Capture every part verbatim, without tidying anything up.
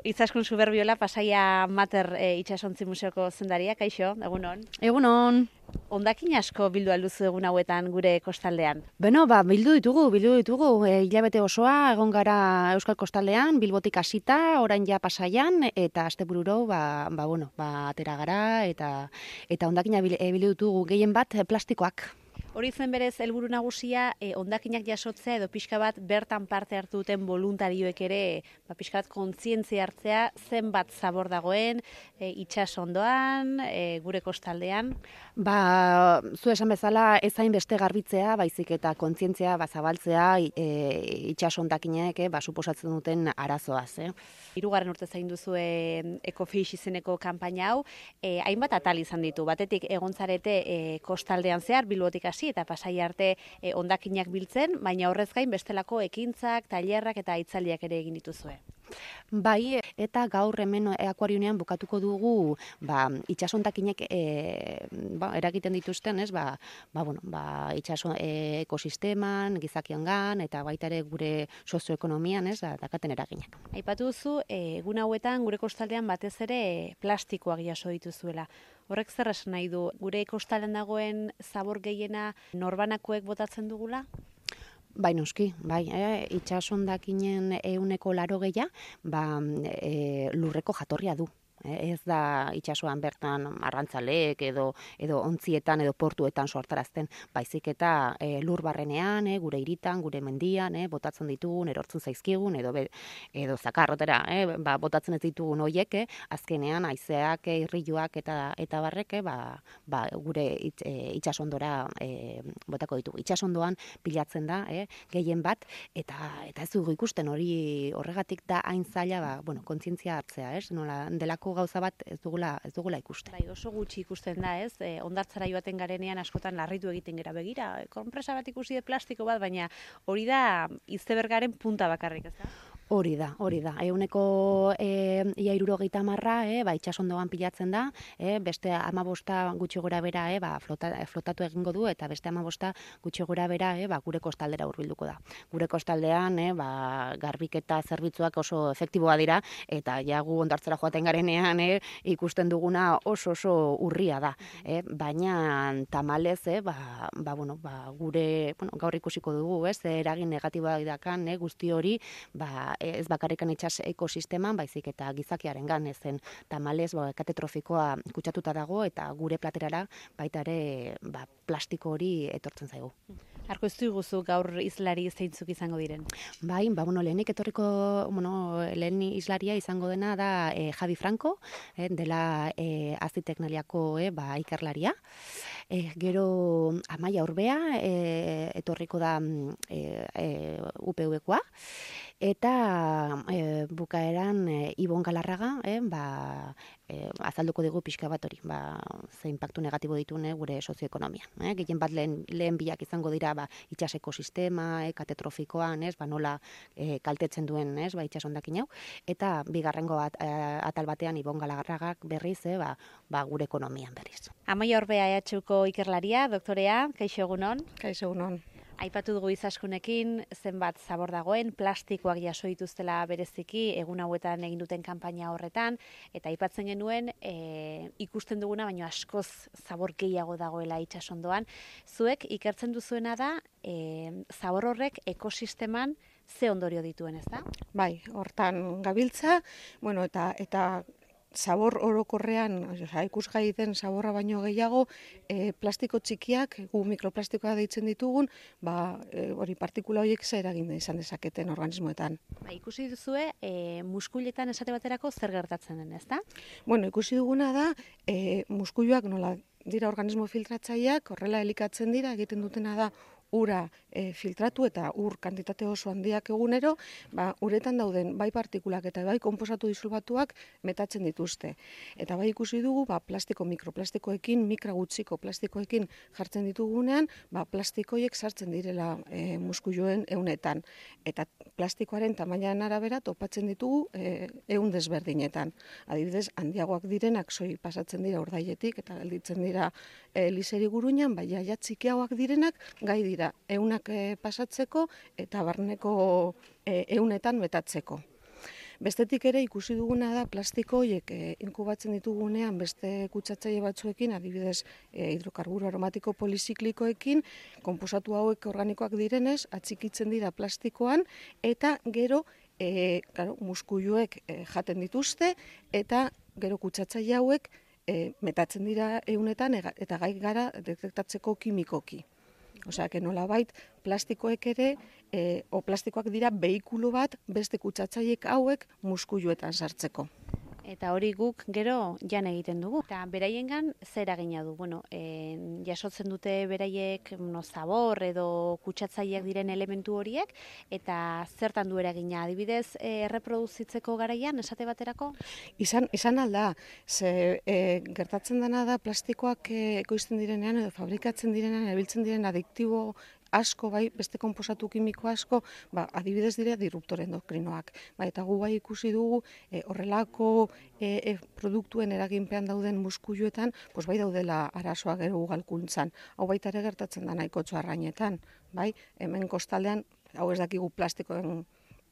Izaskun Suberbiola, Pasaia Mater e, itxasontzi museoko zendaria, kaixo, egunon. Egunon. Hondakin asko bildu alduzu egun hauetan gure kostaldean. Beno, ba, bildu ditugu, bildu ditugu, e, hilabete osoa, egon gara Euskal Kostaldean, Bilbotik hasita, orain ja Pasaian, eta astebururo, ba, ba, bueno, ba, atera gara, eta eta hondakina bil- e, bildu ditugu gehien bat e, plastikoak. Hori zen berez helburu nagusia, e, hondakinak jasotzea edo pixka bat bertan parte hartu duten voluntarioek ere, ba, pixka bat kontzientzia hartzea, zenbat zabor dagoen, e, itsasondoan, e, gure kostaldean. Ba, zu esan bezala, ez hain beste garbitzea, baizik eta kontzientzia ba, zabaltzea e, itxas hondakinek e, ba, suposatzen duten arazoaz. Eh? Hirugarren urte zain duzu e, Ecofish izeneko kanpaina hau, e, hainbat atal izan ditu. Batetik egon zarete e, kostaldean zehar, Bilbotik hasi eta Pasaia arte e, hondakinak biltzen, baina horrez gain bestelako ekintzak, tailerrak eta hitzaldiak ere egin dituzue. Bai, eta gaur hemen akuariunean bukatuko dugu ba, itsasondakinek e, ba, eragiten dituzten, ez, ba, ba, bueno, ba, itsaso e, ekosisteman, gizakiangan, eta baita ere gure sozioekonomian, ez, da, dakaten eraginak. Aipatu duzu, e, egun hauetan gure kostaldean batez ere plastikoak jaso dituzuela. Horrek zer esan nahi du, gure kostaldean dagoen zabor gehiena norbanakoek botatzen dugula? Bai, noski, bai, eh? Itsasondakinen ehuneko laro gehia, ba, e, lurreko jatorria du. Ez da itsasoan bertan arrantzaleek edo edo ontzietan edo portuetan sortarazten, baizik eta e, lur barrenean, e, gure hiritan, gure mendian, e, botatzen ditugun, erortzen zaizkigun edo be, edo zakarrotera, e, ba, botatzen ez ditugun hoiek, e, azkenean haizeak, e, irriluak eta eta barrek, e, ba, ba, gure it, e, itsasondora e, botako ditugu. Itsasondoan pilatzen da, e, gehien bat eta eta ez dugu ikusten hori horregatik da hain zaila, ba, bueno, kontzientzia hartzea, ez? Nola delako gauza bat ez dugula ez dugula ikusten. Bai, oso gutxi ikusten da, ez? E, hondartzara joaten garenean askotan larritu egiten gera begira. E, konpresa bat ikusi de plastiko bat, baina hori da izebergaren punta bakarrik, ez da? Hori da, hori da. Euneko e, ia hirurogeita hamarra, e, ba, itsasondoan pilatzen da, e, beste hamabosta gutxi gora bera, e, ba, flota, flotatu egingo du, eta beste hamabosta gutxi gora bera, e, ba, gure kostaldera hurbilduko da. Gure kostaldean, e, ba, garbiketa zerbitzuak oso efektiboa dira, eta ja gu hondartzara joaten garenean, e, ikusten duguna oso oso urria da. E, baina tamalez, e, ba, ba, bueno, ba, gure, bueno, gaur ikusiko dugu, ez, eragin negatiboa dakan, e, guzti hori, ba, ez bakarrikan itsas ekosisteman, baizik eta gizakiaren gan ezen tamalez, ba, katetrofikoa kutsatuta dago eta gure platerara baita ere ba, plastiko hori etortzen zaigu. Arko ez duguzu gaur izlari zeintzuk izango diren? Bai, ba, bueno, lehenik etorriko, bueno, lehen islaria izango dena da e, Javi Franco, e, dela e, Aziteknaliako e, ba, ikerlaria. E, gero Amaia Urbea e, etorriko da e, e, U P V-koa. Eta e, bukaeran e, Ibon Galarraga, e, ba, e, azalduko dugu pixka bat hori, ba, ze impactu negatibo ditune gure sozioekonomian. E, Gehien bat lehen, lehen bilak izango dira ba, itsas ekosistema, e, katetrofikoan, ez, ba, nola e, kaltetzen duen ez, ba, itsas hondakin hau. Eta bigarrengo at, atal batean Ibon Galarragak berriz, e, ba, ba, gure ekonomian berriz. Amaia Orbea E H Uko ikerlaria, doktorea, kaixo egunon. Kaixo egunon. Aipatu dugu Izaskunekin zenbat zabor dagoen, plastikoak jaso dituztela bereziki egun hauetan egin duten kanpaina horretan, eta aipatzen genuen e, ikusten duguna, baino askoz zabor gehiago dagoela itsasondoan. Zuek ikertzen duzuena da, e, zabor horrek ekosisteman ze ondorio dituen, ez da? Bai, hortan gabiltza, bueno, eta eta zabor orokorrean, osea, ikusgai den zaborra baino gehiago, e, plastiko txikiak, gu mikroplastikoa deitzen ditugun, ba, e, hori partikula horiek zer eragin izan dezaketen organismoetan. Ba, ikusi duzue, e, muskuletan esate baterako zer gertatzen den, ez da? Bueno, ikusi duguna da, e, muskuloak nola dira organismo filtratzaileak, horrela elikatzen dira, egiten dutena da ura e, filtratu eta ur kantitate oso handiak egunero, ba, uretan dauden bai partikulak eta bai konposatu disolbatuak metatzen dituzte. Eta bai ikusi dugu, ba, plastiko mikroplastikoekin, mikra gutxiko plastikoekin jartzen ditugunean, ba, plastikoiek sartzen direla e, muskuloen ehunetan. Eta plastikoaren tamainaren arabera topatzen ditugu e, ehun desberdinetan. Adibidez, handiagoak direnak soi pasatzen dira urdailetik eta gelditzen dira e, liseri guruinan, baina ja txikiagoak direnak gai dira ehunak e, pasatzeko eta barneko e, ehunetan metatzeko. Bestetik ere ikusi duguna da plastiko horiek e, inkubatzen ditugunean beste kutsatzaile batzuekin, adibidez e, hidrokarburo aromatiko poliziklikoekin, konposatu hauek organikoak direnez, atxikitzen dira plastikoan, eta gero e, claro, muskuluek e, jaten dituzte, eta gero kutsatzaile hauek e, metatzen dira eunetan eta gai gara detektatzeko kimikoki. Osea, que nolabait plastikoek ere, e, o plastikoak dira behikulo bat beste kutsatzailek hauek muskuluetan sartzeko. Eta hori guk gero jan egiten dugu. Eta beraiengan zer eragina du? Bueno, e, jasotzen dute beraiek no, zabor edo kutsatzaileak diren elementu horiek, eta zertan du eragina? Adibidez, e, erreproduzitzeko garaian, esate baterako? Izan, izan alda, ze e, gertatzen dena da plastikoak e, ekoizten direnean edo fabrikatzen direnean, erabiltzen diren adiktibo asko, bai, beste konposatu kimiko asko, ba, adibidez dira disruptore endokrinoak. Ba, eta gu bai ikusi dugu e, horrelako e, e, produktuen eraginpean dauden muskuluetan, pues bai daudela arazoa gero ugalkuntzan. Hau baita ere gertatzen da nahikotxo arrainetan, bai, hemen kostaldean, hau ez dakigu plastikoen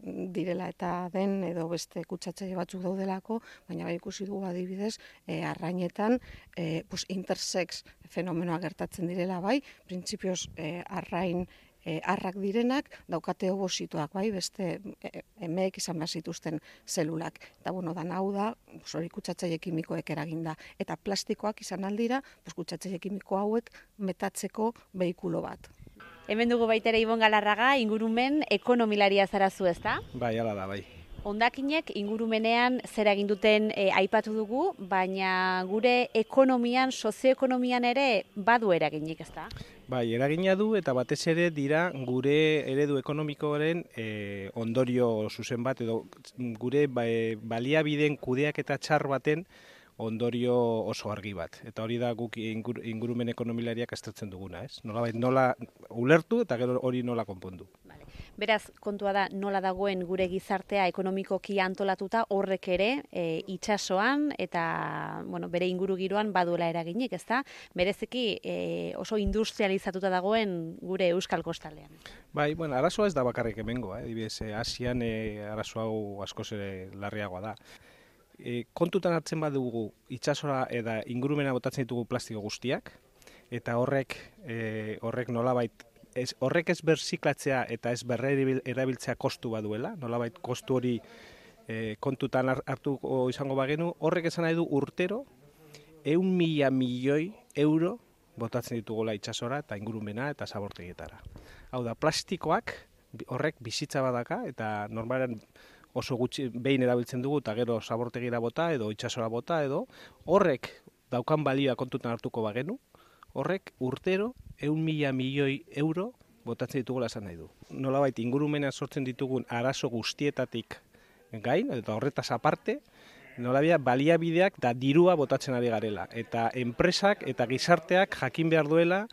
direla eta den edo beste kutsatzaile batzuk daudelako, baina bai ikusi dugu adibidez e, arrainetan e, pues intersex fenomenoa gertatzen direla, bai, printzipioz e, arrain e, arrak direnak daukate obositoak, bai, beste e, emeek izan behar zituzten zelulak. Eta bueno, dan hau da, pues, hori kutsatzaile kimikoek eraginda. Eta plastikoak izan aldira, pues, kutsatzaile kimiko hauek metatzeko behikulo bat. Hemen dugu baita ere Ibon Galarraga, ingurumen ekonomilaria zarazu, ezta? Bai, hala da, bai. Hondakinek ingurumenean zer egin duten e, aipatu dugu, baina gure ekonomian, sozioekonomian ere badu eraginik, ezta? Bai, eragina du eta batez ere dira gure eredu ekonomikoaren e, ondorio zuzen bat edo gure ba, e, baliabideen kudeaketa txar baten ondorio oso argi bat. Eta hori da guk ingur, ingurumen ekonomilariak aztertzen duguna, ez? Nola, nola ulertu eta gero hori nola konpondu. Vale. Beraz, kontua da nola dagoen gure gizartea ekonomikoki antolatuta horrek ere e, itsasoan eta bueno, bere ingurugiroan baduela eraginik, ezta? Bereziki e, oso industrializatuta dagoen gure Euskal Kostaldean. Bai, bueno, arazoa ez da bakarrik hemengo, eh? Adibidez, Asian e, arazo hau askoz ere larriagoa da. E, kontutan hartzen badugu itsasora eta ingurumena botatzen ditugu plastiko guztiak, eta horrek e, horrek nolabait ez, horrek ez berziklatzea eta ez berrerabiltzea kostu baduela, nolabait kostu hori e, kontutan hartuko izango bagenu, horrek esan nahi du urtero ehun mila milioi euro botatzen ditugula itsasora eta ingurumena eta zabortegietara. Hau da, plastikoak horrek bizitza badaka eta normalen oso gutxi behin erabiltzen dugu eta gero zabortegira bota edo itsasora bota edo horrek daukan balioa kontutan hartuko bagenu, horrek urtero ehun mila milioi euro botatzen ditugula esan nahi du. Nolabait ingurumena sortzen ditugun arazo guztietatik gain eta horretaz aparte, nolabia baliabideak da dirua botatzen ari garela eta enpresak eta gizarteak jakin behar duela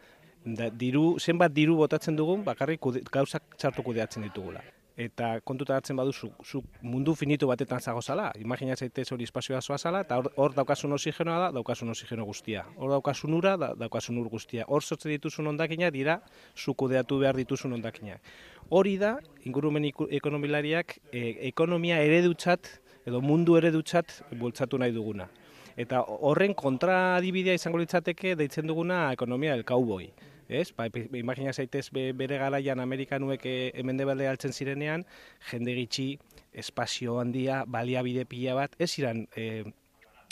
da, diru, zenbat diru botatzen dugun bakarrik kude, gauzak txartu kudeatzen ditugula. Eta kontutan hartzen baduzu, zu mundu finitu batetan zagozala, imagina zaitez hori espazioa zoazala, eta hor, hor daukasun oxigenoa da, daukasun oxigeno guztia. Hor daukasun ura, da, daukasun ur guztia. Hor sortzen dituzun hondakinak dira, zu kudeatu behar dituzun hondakinak. Hori da, ingurumen ekonomilariak, e, ekonomia eredutzat, edo mundu eredutzat bultzatu nahi duguna. Eta horren kontradibidea izango litzateke deitzen duguna ekonomia del cowboy. Ez? Ba, imagina zaitez bere garaian Amerikanuek hemen debelde altzen zirenean, jende gitxi, espazio handia, baliabide pila bat, ez iran, e,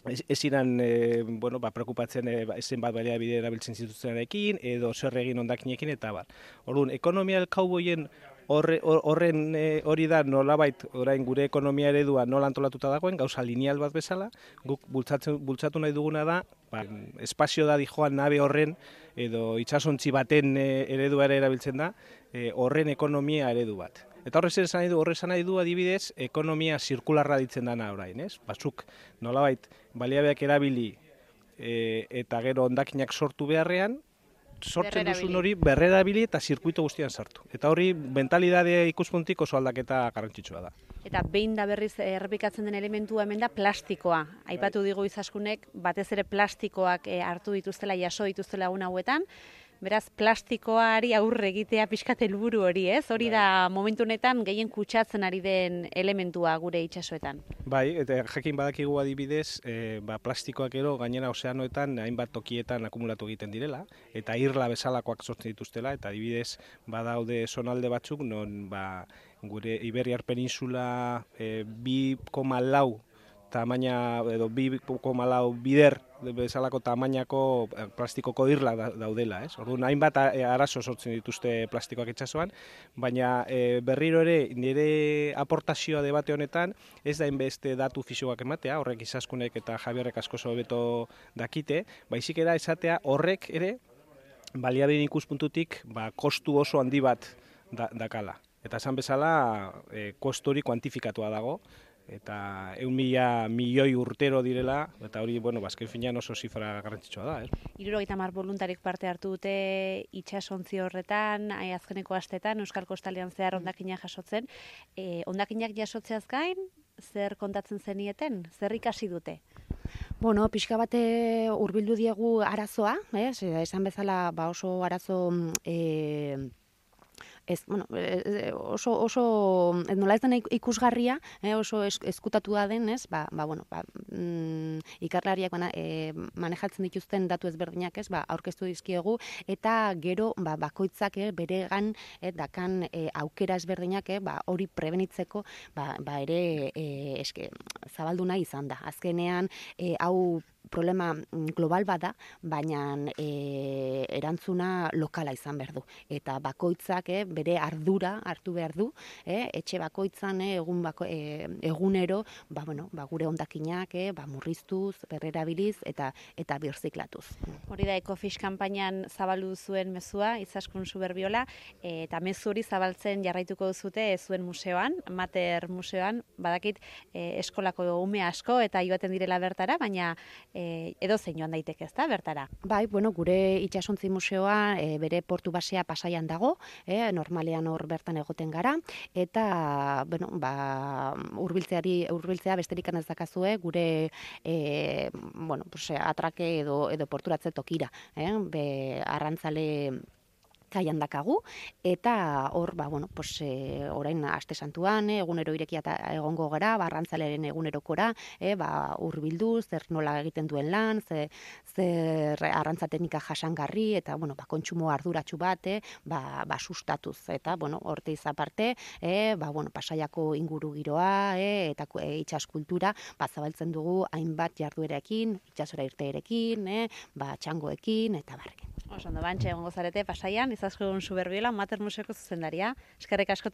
ez, ez iran e, bueno, ba, preokupatzen e, zenbat baliabide erabiltzen zituztenarekin, edo zer egin hondakinekin eta bat. Orduan, ekonomia del cowboyen horre, horren e, hori da nolabait orain gure ekonomia eredua nola antolatuta dagoen, gauza lineal bat bezala, guk bultzatzen, bultzatu nahi duguna da, ba, espazio da dijoan nabe horren, edo itsasontzi baten e, ereduare erabiltzen da, e, horren ekonomia eredu bat. Eta horrez esan nahi du, horrez nahi du adibidez, ekonomia zirkularra ditzen dana orain, ez? Batzuk nolabait baliabeak erabili e, eta gero hondakinak sortu beharrean, sortzen duzun hori berrerabili eta zirkuito guztian sartu. Eta hori mentalidade ikuspuntik oso aldaketa garrantzitsua da. Eta behin da berriz errepikatzen den elementua hemen da plastikoa. Aipatu digu Izaskunek batez ere plastikoak hartu dituztela, jaso dituztela egun hauetan, Beraz, plastikoari aurre egitea pixkat helburu hori, ez? Hori da momentu honetan gehien kutsatzen ari den elementua gure itsasoetan. Bai, eta jakin badakigu adibidez, e, ba, plastikoak ero gainera ozeanoetan hainbat tokietan akumulatu egiten direla, eta irla bezalakoak sortzen dituztela, eta adibidez badaude zonalde batzuk, non ba, gure Iberiar Peninsula e, bi koma lau tamaina, edo bi koma lau bider bezalako tamainako plastikoko irla daudela, ez? Orduan, hainbat arazo sortzen dituzte plastikoak itsasoan, baina e, berriro ere nire aportazioa debate honetan ez da inbeste datu fisioak ematea, horrek Izaskunek eta Javierrek asko hobeto dakite, baizik era esatea horrek ere baliabideen ikuspuntutik ba, kostu oso handi bat da, dakala. Eta esan bezala, e, kostu hori kuantifikatua dago, eta ehun mila milioi urtero direla, eta hori, bueno, bazken finean oso zifra garrantzitsua da, ez? Hirurogeita hamar boluntarik parte hartu dute itsasontzi horretan, azkeneko astetan, Euskal Kostaldean zehar hondakina jasotzen. E, hondakinak jasotzeaz gain, zer kontatzen zenieten? Zer ikasi dute? Bueno, pixka bate hurbildu diegu arazoa, eh? Esan bezala ba oso arazo eh, Ez, bueno, oso, oso nola ez den ikusgarria, eh, oso eskutatua den, ez, ba, ba, bueno, ba, mm, ikerlariak bana, e, manejatzen dituzten datu ezberdinak, ez, ba, aurkeztu dizkiegu, eta gero, ba, bakoitzak, eh, beregan, eh, dakan eh, aukera ezberdinak, eh, ba, hori prebenitzeko, ba, ba ere, eh, eske, zabaldu nahi izan da. Azkenean, eh, hau problema global bada, baina e, erantzuna lokala izan behar du. Eta bakoitzak e, bere ardura hartu behar du, e, etxe bakoitzan e, egun bako, e, egunero ba, bueno, ba, gure hondakinak e, ba, murriztuz, berrerabiliz eta eta birziklatuz. Hori da Ecofish kanpainan zabaldu zuen mezua, Izaskun Suberbiola, e, eta mezu hori zabaltzen jarraituko duzute e, zuen museoan, Mater museoan, badakit e, eskolako ume asko eta joaten direla bertara, baina E, edo zein joan daiteke, ezta, bertara? Bai, bueno, gure itsasontzi museoa e, bere portu basea Pasaian dago, e, normalean hor bertan egoten gara, eta, bueno, ba, hurbiltzeari hurbiltzea besterik ez dakazue, gure e, bueno, pues, atrake edo, edo porturatze tokira, eh? Be, arrantzale kaian dakagu, eta hor, ba, bueno, pues, e, orain aste santuan, e, egunero irekia egongo gara, barrantzaleren egunerokora, e, ba, hurbildu, zer nola egiten duen lan, ze, zer arrantzatenika jasangarri, eta, bueno, ba, kontsumo arduratsu bat, e, ba, ba, sustatuz, eta, bueno, horte izaparte, e, ba, bueno, Pasaiako inguru giroa, e, eta e, itsas kultura, ba, zabaltzen dugu hainbat jarduerekin, itsasora irteerekin, e, ba, txangoekin, eta barrekin. Oso ondo, bantxe egongo zarete Pasaian, Izaskun Suberbiola, Mater Museoko zuzendaria. Eskerrik asko.